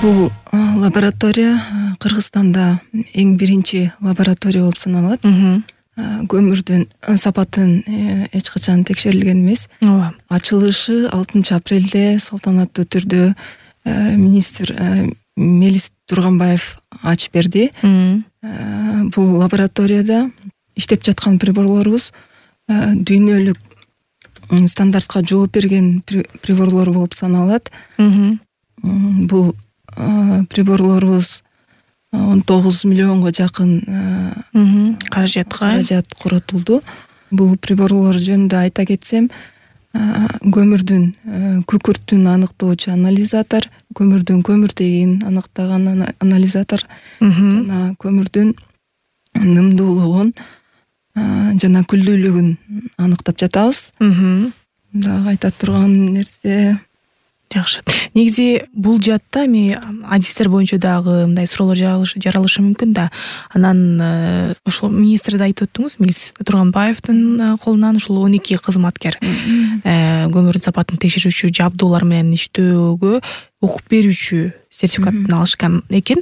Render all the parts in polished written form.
Бул лаборатория Кыргызстанда эң биринчи лаборатория болуп саналат. Көмүрдүн сапатын эч качан текшерилген эмес. Ооба. Ачылышы 6 апрелде салтанаттуу түрдө министр Мелис Турганбаев ачып берди. Бул лабораторияда иштеп жаткан приборлорубуз дүйнөлүк стандартка жооп берген приборлор болуп саналат. Бул приборлорубуз 19 миллионго жакын каражат коротулду. Бул приборлор жөнүндө айта кетсем, көмүрдүн күкүртүн аныктоочу анализатор, көмүрдүн көмүртегин аныктаган анализатор жана көмүрдүн нымдуулугун жана күлдүүлүгүн аныктап жатабыз. Дагы айта турган нерсе жакшы. Негизи бул жаатта эми адистер боюнча дагы мындай суроолор жаралышы мүмкүн да. Анан ошол министрди айтып өттүңүз, Мелис Турганбаевдин колунан ушул 12 кызматкер көмүрдүн сапатын текшерүүчү жабдуулар менен иштөөгө окуп берүүчү сертификатын алышкан экен.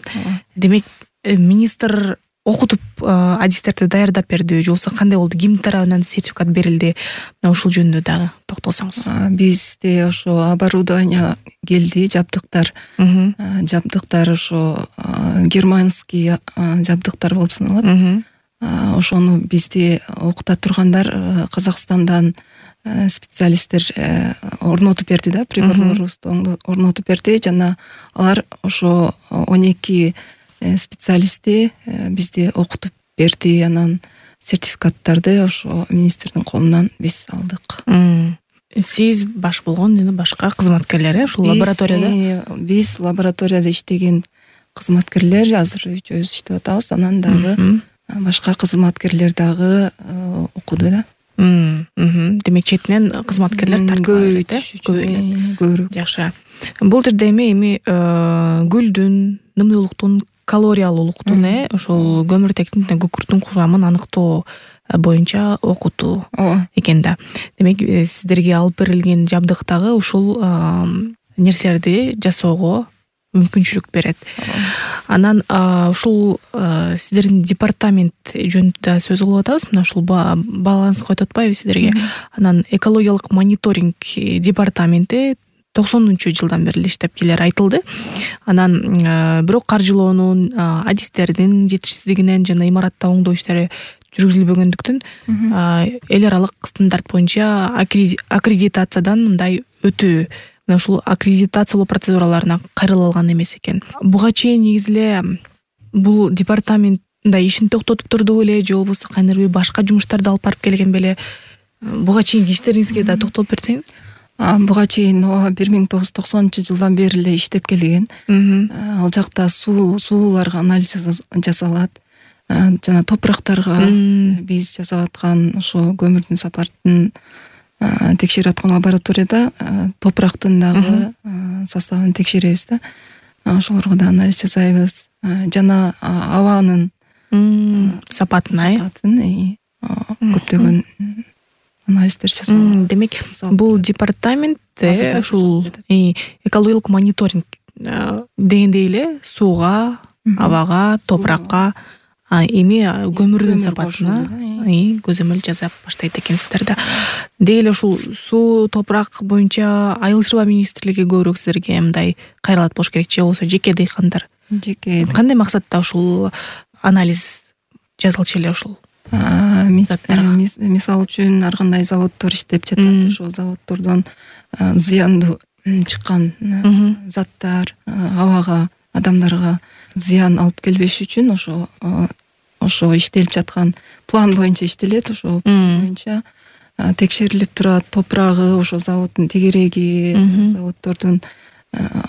Демек министр окутуп адистерди даярдап берди, же болбосо кандай болду? Ким тарабынан сертификат берилди? Мына ушул жөнүндө дагы токтолсоңуз. Бизде ошо оборудование келди, жабдыктар. Жабдыктар ошо германский жабдыктар болуп саналат. Ошону бизди окута тургандар Казакстандан специалисттер орнотуп берди да, приборлорубузду орнотуп берди жана алар ошо 12 специалистти бизди окутуп берди. Анан сертификаттарды ошо министрдин колунан биз алдык. Сиз баш болгон жана башка кызматкерлер ушул лабораторияда? Биз лабораторияда иштеген кызматкерлер азыр үчөөбүз иштеп атабыз. Анан дагы башка кызматкерлер дагы окуду да. Демек четинен кызматкерлер тартылды, көбүрөөк. Жакшы. Бул жерде эми гүлдүн, нымдуулуктун, калориялуулуктун ошол көмүртектин күкүрттүн курамын аныктоо боюнча окутуу экен да. Демек сиздерге алып берилген жабдык дагы ушул нерселерди жасоого мүмкүнчүлүк берет. Анан ушул сиздердин департамент жөнүндө сөз кылып атабыз. Мына ушул баланс коюп атпайбы сиздерге? Анан экологиялык мониторинг департаменти 90-жылдан бери иштеп келер айтылды. Анан бирок каржылоонун, адистердин жетишсиздигинен жана имаратта оңдоо иштери жүргүзүлбөгөндүктөн эл аралык стандарт боюнча аккредитациядан мындай өтүү, мына ушул аккредитациялоо процедураларына кайрыла алган эмес экен. Буга чейин негизи эле бул департамент мындай ишин токтотуп турду беле, же болбосо кандайдыр бир башка жумуштарды алып барып келген беле? Буга чейинки иштериңизге да токтолуп берсеңиз. Буга чейин 1990-жылдан бери эле иштеп келген. Ал жакта сууларга анализ жасалат. Жана топурактарга биз жасап аткан ошо көмүрдүн сапатын текшерип аткан лабораторияда топурактын дагы составын текшеребиз да. Ошолорго да анализ жасайбыз. Жана абанын сапатын көптөгөн анализдер жасалат. Демек бул департамент ушул экологиялык мониторинг дегендей эле сууга, абага, топуракка, эми көмүрдүн сапатына көзөмөл жасап баштайт экенсиздер да. Деги эле ушул суу, топурак боюнча Айыл чарба министрлиги көбүрөөк силерге мындай кайрылат болуш керек, же болбосо жеке дыйкандар? Кандай максатта ушул анализ жазылчу эле ушул? Мисалы үчүн ар кандай заводдор иштеп жатат. Ошол заводдордон зыяндуу чыккан заттар абага, адамдарга зыян алып келбеш үчүн ошо иштелип жаткан план боюнча иштелет. Ошол боюнча текшерилип турат. Топурагы, ошо заводдун тегереги, заводдордун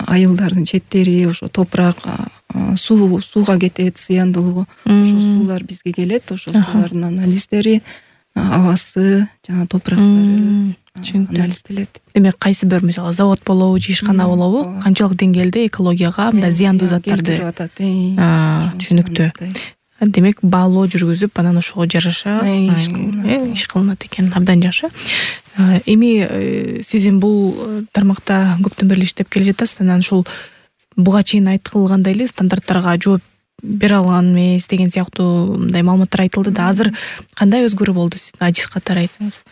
айылдардын четтери, ошо топурак, сууга кетет зыяндуулугу. Ошо суулар бизге келет. Ошо суулардын анализдери, абасы жана топурактары анализделет. Демек кайсы бир мисалы завод болобу, же ишкана болобу, канчалык деңгээлде экологияга мындай зыяндуу заттарды түшүнүктүү. Демек баалоо жүргүзүп, анан ошого жараша иш кылынат экен. Абдан жакшы. Эми сиз бул тармакта көптөн бери иштеп келе жатасыз. Анан ушул буга чейин айтылгандай эле стандарттарга жооп бере алган эмес деген сыяктуу мындай маалыматтар айтылды да. Азыр кандай өзгөрүү болду сиздин адис катары айтсаңыз?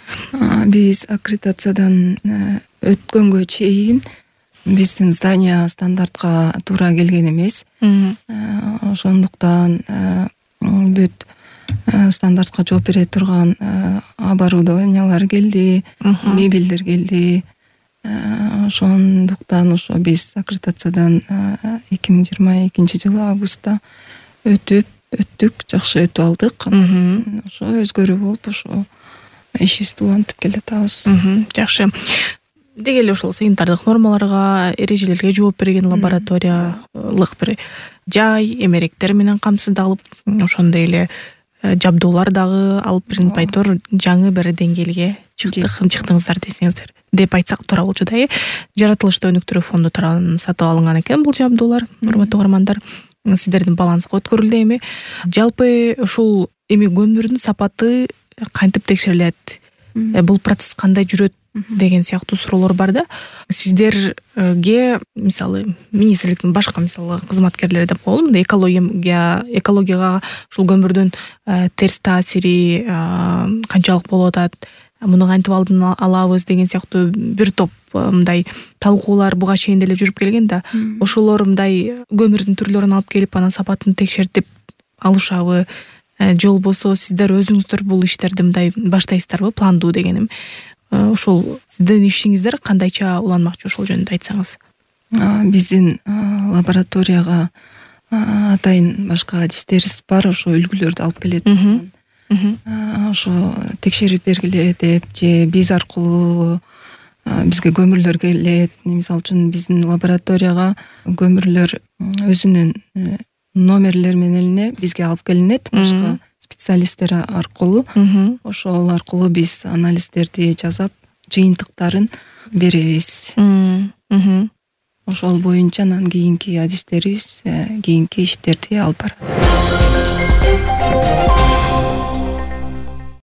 Биз аккредитациядан өткөнгө чейин биздин здание стандартка туура келген эмес. Ошондуктан бүт стандартка жооп бере турган оборудованиялар келди, мебелдер келди. Ошондуктан ошо биз аккредитациядан 2022-жылы августта өттүк, жакшы өтүп алдык. Ошо өзгөрүү болуп, ошо ишибизди улантып келатабыз. Жакшы. Деги эле ошол санитардык нормаларга, эрежелерге жооп берген лабораториялык бир жай, эмеректер менен камсыздалып, ошондой эле жабдуулар дагы алып бир байтор жаңы бир деңгээлге чыктыңыздар десеңиздер деп айтсак туура болчу да. Жаратылышты өнүктүрүү фонду тарабынан сатып алынган экен бул жабдуулар. Урматтуу угармандар, сиздердин балансга өткөрүлдү. Эми жалпы ушул көмүрдүн сапаты кантип текшерилет? Бул процесс кандай жүрөт деген сыяктуу суроолор бар да. Сиздерге мисалы министрликтин башка мисалы кызматкерлери деп коелу, мындай экологияга ушул көмүрдүн терс таасири канчалык болуп атат, муну кантип алдын алабыз деген сыяктуу бир топ мындай талкуулар буга чейин деле жүрүп келген да. Ошолор мындай көмүрдүн түрлөрүн алып келип анан сапатын текшертип алышабы, же болбосо сиздер өзүңүздөр бул иштерди мындай баштайсыздарбы, пландуу дегеним. Ошол сиздин ишиңиздер кандайча уланмакчы, ошол жөнүндө айтсаңыз? Биздин лабораторияга атайын башка адистерибиз бар, ошо үлгүлөрдү алып келет. Ошо текшерип бергиле деп, же биз аркылуу бизге көмүрлөр келет. Мисалы үчүн биздин лабораторияга көмүрлөр өзүнүн номерлери менен эле бизге алып келинет, башка специалисттер аркылуу. Ошол аркылуу биз анализдерди жасап, жыйынтыктарын беребиз. Ошол боюнча анан кийинки адистерибиз кийинки иштерди алып барат.